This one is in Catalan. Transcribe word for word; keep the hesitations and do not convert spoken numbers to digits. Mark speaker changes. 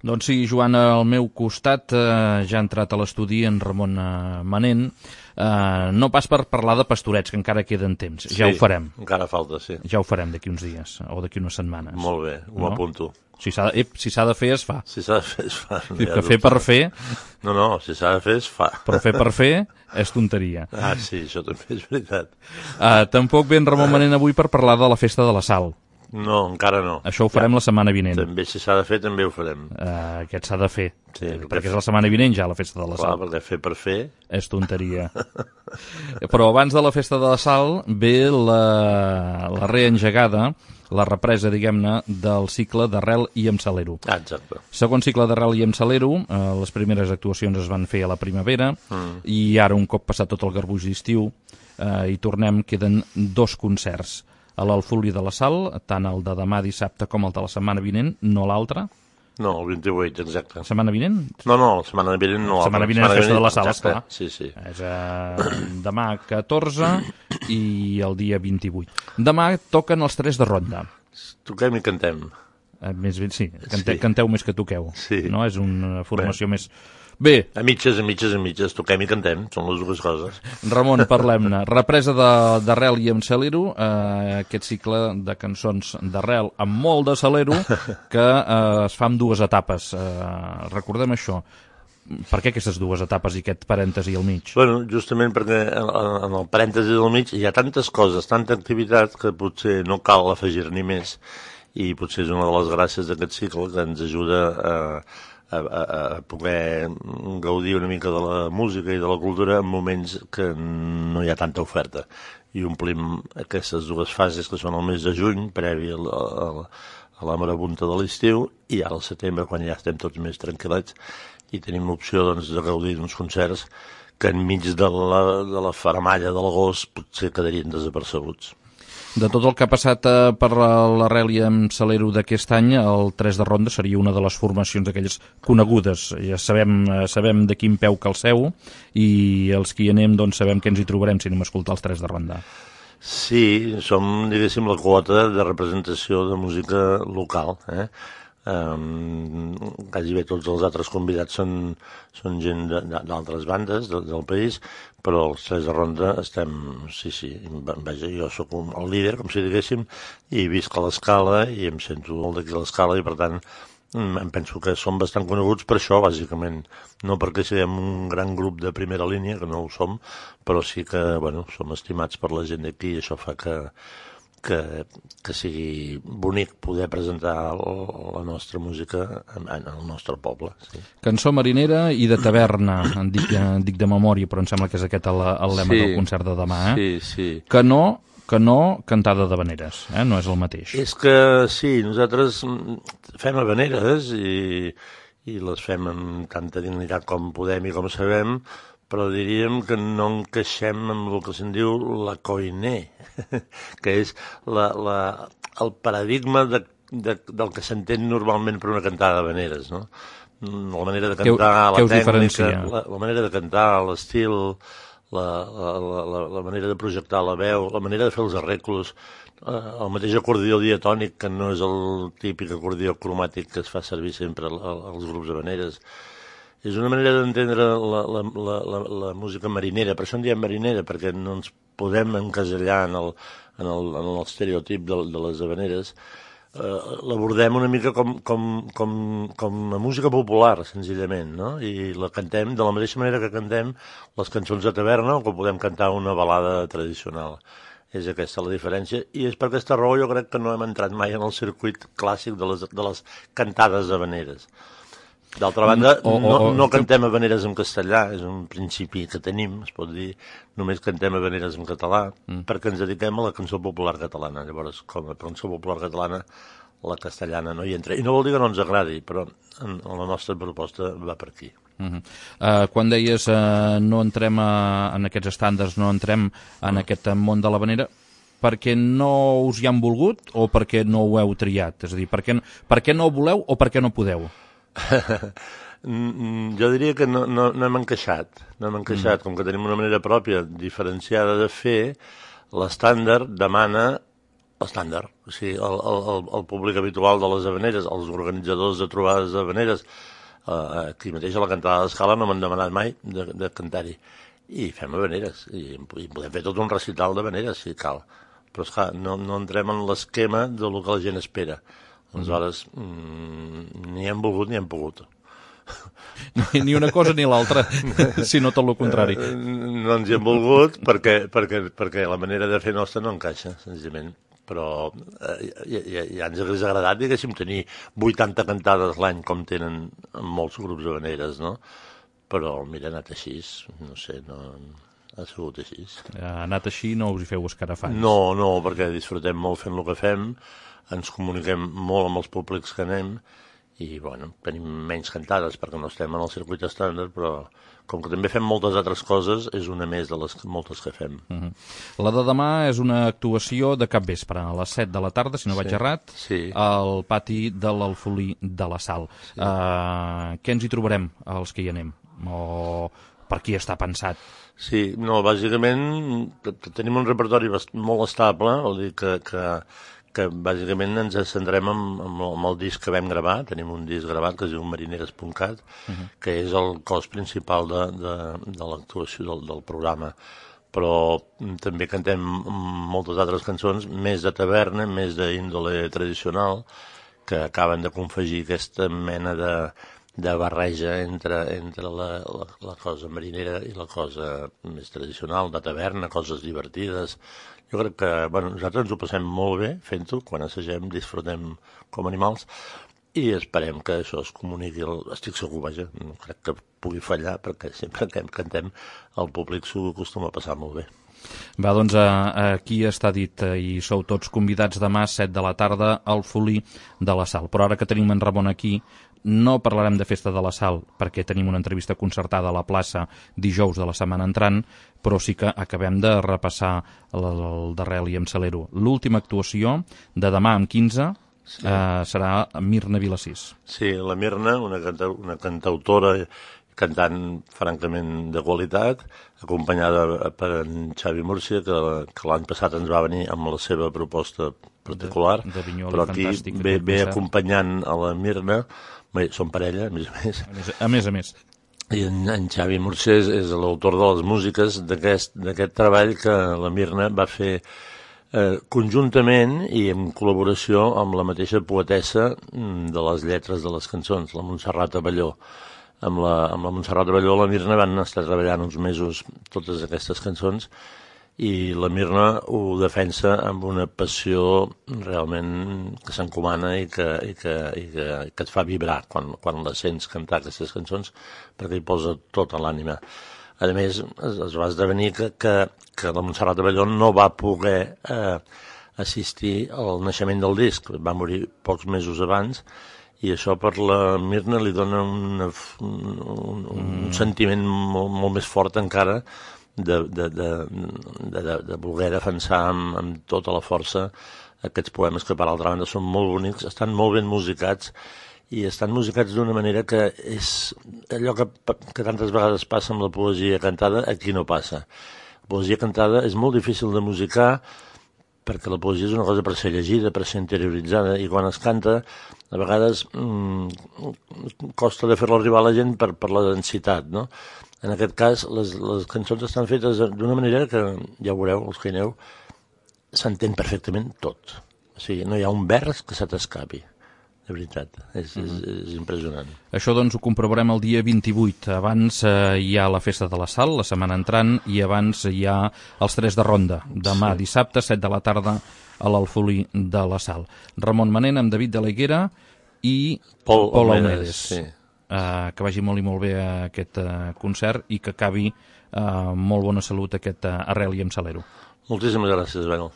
Speaker 1: Doncs sí, Joan, al meu costat eh, ja ha entrat a l'estudi en Ramon eh, Manent, eh, no pas per parlar de pastorets, que encara queden temps, ja
Speaker 2: sí,
Speaker 1: ho farem.
Speaker 2: Encara falta, sí.
Speaker 1: Ja ho farem d'aquí uns dies, o d'aquí unes setmanes.
Speaker 2: Molt bé, ho
Speaker 1: no?
Speaker 2: apunto.
Speaker 1: Si s'ha de, si s'ha de fer, es fa.
Speaker 2: Si s'ha de fer, es fa. No
Speaker 1: que ja fer per fer...
Speaker 2: No, no, si s'ha de fer, es fa.
Speaker 1: Però fer per fer és tonteria.
Speaker 2: Ah, sí, això també és veritat.
Speaker 1: Uh, tampoc ve en Ramon Manent avui per parlar de la festa de la Sal.
Speaker 2: No, encara no.
Speaker 1: Això ho farem ja. la setmana vinent.
Speaker 2: També, si s'ha de fer, també ho farem.
Speaker 1: Uh, aquest s'ha de fer.
Speaker 2: Sí,
Speaker 1: perquè, perquè és la setmana vinent ja, la festa de la
Speaker 2: clar,
Speaker 1: Sal.
Speaker 2: perquè fer per fer...
Speaker 1: És tonteria. Però abans de la festa de la Sal ve la, la reengegada, la represa, diguem-ne, del cicle d'Arrel i amb Salero.
Speaker 2: Ah, exacte.
Speaker 1: Segon cicle d'Arrel i amb Salero, eh, les primeres actuacions es van fer a la primavera, mm. i ara, un cop passat tot el garbuix d'estiu, eh, hi tornem, queden dos concerts. A l'Alfúlia de la Sal, tant el de demà dissabte com el de la setmana vinent, no l'altre.
Speaker 2: No, el vint-i-vuit, exacte.
Speaker 1: Setmana vinent?
Speaker 2: No, no, la setmana vinent no.
Speaker 1: La setmana vinent és festa de la Sal, esclar.
Speaker 2: Sí, sí.
Speaker 1: És eh, demà catorze i el dia vint-i-vuit. Demà toquen els tres de ronda.
Speaker 2: Toquem i cantem.
Speaker 1: Eh, més ben, sí, cante,
Speaker 2: sí,
Speaker 1: canteu més que toqueu.
Speaker 2: Sí.
Speaker 1: No? És una formació
Speaker 2: bé.
Speaker 1: més... Bé.
Speaker 2: A mitges, a mitges, a mitges, toquem i cantem, són les dues coses.
Speaker 1: Ramon, parlem-ne. Represa d'Arrel i amb Salero, eh, aquest cicle de cançons d'Arrel amb molt de Salero, que eh, es fa en dues etapes. Eh, recordem això. Per què aquestes dues etapes i aquest parèntesi al mig?
Speaker 2: Bueno, justament perquè en, en el parèntesi del mig hi ha tantes coses, tanta activitat, que potser no cal afegir-n'hi més, i potser és una de les gràcies d'aquest cicle que ens ajuda a... A, a, a poder gaudir una mica de la música i de la cultura en moments que no hi ha tanta oferta. I omplim aquestes dues fases que són el mes de juny, previ a la, a la, a la marabunta de l'estiu, i ara al setembre, quan ja estem tots més tranquil·lets, i tenim l'opció doncs, de gaudir d'uns concerts que enmig de la, de la faramalla de l'agost potser quedarien desapercebuts.
Speaker 1: De tot el que ha passat eh, per l'Arrel i amb Salero d'aquest any, el tres de ronda seria una de les formacions d'aquelles conegudes. Ja sabem, eh, sabem de quin peu calceu, i els que hi anem doncs, sabem que ens hi trobarem si anem a escoltar els tres de ronda.
Speaker 2: Sí, som, diguéssim, la quota de representació de música local, eh? Um, quasi bé tots els altres convidats són, són gent d'altres bandes de, del país, però els tres de ronda estem, sí, sí, vaja, jo sóc un, el líder, com si diguéssim, i visc a l'Escala i em sento molt d'aquí a l'Escala, i per tant em penso que som bastant coneguts per això, bàsicament, no perquè siguem un gran grup de primera línia, que no ho som, però sí que, bueno, som estimats per la gent d'aquí, i això fa que Que, que sigui bonic poder presentar la nostra música en, en el nostre poble. Sí.
Speaker 1: Cançó marinera i de taverna, en dic, en dic de memòria, però em sembla que és aquest el, el lema sí, del concert de demà. Eh?
Speaker 2: Sí, sí.
Speaker 1: Que no, que no cantada d'havaneres, eh? No és el mateix.
Speaker 2: És que sí, nosaltres fem havaneres i, i les fem amb tanta dignitat com podem i com sabem, però diríem que no encaixem amb el que se'n diu la coiné, que és la, la, el paradigma de, de, del que s'entén normalment per una cantada d'havaneres, no? La manera de cantar,
Speaker 1: què,
Speaker 2: la
Speaker 1: què
Speaker 2: tècnica, la, la manera de cantar, l'estil, la, la, la, la manera de projectar la veu, la manera de fer els arreglos, eh, el mateix acordió diatònic, que no és el típic acordió cromàtic que es fa servir sempre als grups d'havaneres. És una manera d'entendre la, la, la, la, la música marinera, per això en diem marinera, perquè no ens podem encasellar en el, en el, en el estereotip de, de les havaneres. Eh, l'abordem una mica com, com, com, com a música popular, senzillament, no? I la cantem de la mateixa manera que cantem les cançons de taverna o que podem cantar una balada tradicional. És aquesta la diferència, i és per aquesta raó jo crec que no hem entrat mai en el circuit clàssic de les, de les cantades havaneres. D'altra banda, o, o, no, no cantem havaneres en castellà, és un principi que tenim, es pot dir, només cantem havaneres en català, mm. perquè ens dediquem a la cançó popular catalana. Llavors, com a cançó popular catalana, la castellana no hi entra. I no vol dir que no ens agradi, però en, en la nostra proposta va per aquí.
Speaker 1: Uh -huh. uh, quan deies uh, no entrem a, en aquests estàndards, no entrem en mm. aquest món de l'havanera, perquè no us hi han volgut o perquè no ho heu triat? És a dir, per què, per què no ho voleu o per què no podeu?
Speaker 2: Jo diria que no, no, no hem encaixat, no hem encaixat, mm. com que tenim una manera pròpia diferenciada de fer, l'estàndard demana L'estàndard. O sigui, el, el, el públic habitual de les havaneres, els organitzadors de trobades d'havaneres, eh, aquí mateix a la cantada d'Escala no m'han demanat mai de, de cantar-hi. I fem havaneres, i, i podem fer tot un recital d'havaneres, si cal. Però, esclar, no, no entrem en l'esquema del que la gent espera. Aleshores, mm, ni hem volgut ni hem pogut.
Speaker 1: Ni, ni una cosa ni l'altra, sinó tot el contrari.
Speaker 2: No ens hi hem volgut perquè, perquè, perquè la manera de fer nostra no encaixa, senzillament. Però eh, ja, ja, ja ens hauria agradat, diguéssim, tenir vuitanta cantades l'any com tenen molts grups d'havaneres, no? Però, mira, ha anat així, no sé, no... ha sigut així.
Speaker 1: Ha anat així, no us hi feu escarafants?
Speaker 2: No, no, perquè disfrutem molt fent el que fem, ens comuniquem molt amb els públics que anem, i, bueno, tenim menys cantades perquè no estem en el circuit estàndard, però com que també fem moltes altres coses, és una més de les moltes que fem.
Speaker 1: Uh-huh. La de demà és una actuació de capvespre, a les set de la tarda, si no
Speaker 2: sí,
Speaker 1: vaig errat,
Speaker 2: sí.
Speaker 1: al pati de l'Alfolí de la Sal. Sí. Uh, què ens hi trobarem, els que hi anem? O per qui està pensat?
Speaker 2: Sí, no, bàsicament tenim un repertori molt estable, vol dir que, que, que bàsicament ens centrem en, en el disc que vam gravar, tenim un disc gravat que es diu marineres punt cat, uh-huh. que és el cos principal de, de, de l'actuació del, del programa, però també cantem moltes altres cançons, més de taverna, més d'índole tradicional, que acaben de confegir aquesta mena de de barreja entre, entre la, la, la cosa marinera i la cosa més tradicional, de taverna, coses divertides. Jo crec que, bueno, nosaltres ens ho passem molt bé fent-ho, quan assagem, disfrutem com animals, i esperem que això es comuniqui, el, estic segur, vaja, no crec que pugui fallar, perquè sempre que cantem el públic s'ho acostuma a passar molt bé.
Speaker 1: Va, doncs aquí està dit, i sou tots convidats demà a set de la tarda al Folí de la Sal. Però ara que tenim en Ramon aquí, no parlarem de Festa de la Sal, perquè tenim una entrevista concertada a la plaça dijous de la setmana entrant, però sí que acabem de repassar el, el darrer Aliam Salero. L'última actuació de demà amb quinze sí. eh, serà Mirna Vilassís.
Speaker 2: Sí, la Mirna, una, canta, una cantautora cantant francament de qualitat, acompanyada per en Xavi Múrcia, que, que l'any passat ens va venir amb la seva proposta particular,
Speaker 1: de, de Vinyoli,
Speaker 2: però aquí ve, ve acompanyant a la Mirna, bé, són parella, a més a més.
Speaker 1: A més a més. A més.
Speaker 2: I en, en Xavi Múrcia és, és l'autor de les músiques d'aquest treball que la Mirna va fer eh, conjuntament i en col·laboració amb la mateixa poetessa de les lletres de les cançons, la Montserrat Abelló. Amb la, amb la Montserrat Abelló i la Mirna van estar treballant uns mesos totes aquestes cançons i la Mirna ho defensa amb una passió realment que s'encomana i, que, i, que, i que, que et fa vibrar quan, quan la sents cantar aquestes cançons, perquè hi posa tota l'ànima. A més, es, es va esdevenir que, que, que la Montserrat Abelló no va poder eh, assistir al naixement del disc, va morir pocs mesos abans, i això per la Mirna li dona una, un, un, un sentiment molt, molt més fort encara de, de, de, de, de, de voler defensar amb, amb tota la força aquests poemes que per altra banda són molt bonics, estan molt ben musicats i estan musicats d'una manera que és allò que, que tantes vegades passa amb la poesia cantada, aquí no passa. La poesia cantada és molt difícil de musicar perquè la poesia és una cosa per ser llegida, per ser interioritzada, i quan es canta, a vegades mmm, costa de fer-la arribar a la gent per, per la densitat, no? En aquest cas, les, les cançons estan fetes d'una manera que, ja ho veureu, els que hi aneu, s'entén perfectament tot. O sigui, no hi ha un vers que se t'escapi. De veritat, és, és, és impressionant.
Speaker 1: Això doncs ho comprovarem el dia vint-i-vuit. Abans eh, hi ha la Festa de la Sal, la setmana entrant, i abans hi ha els Tres de Ronda, demà sí. Dissabte, set de la tarda, a l'Alfolí de la Sal. Ramon Manent amb David de la Higuera i
Speaker 2: Pol,
Speaker 1: Pol
Speaker 2: Aumedes. Sí.
Speaker 1: Eh, que vagi molt i molt bé aquest eh, concert i que acabi eh, molt bona salut aquest eh, Arrel i amb Salero.
Speaker 2: Moltíssimes gràcies, Benel.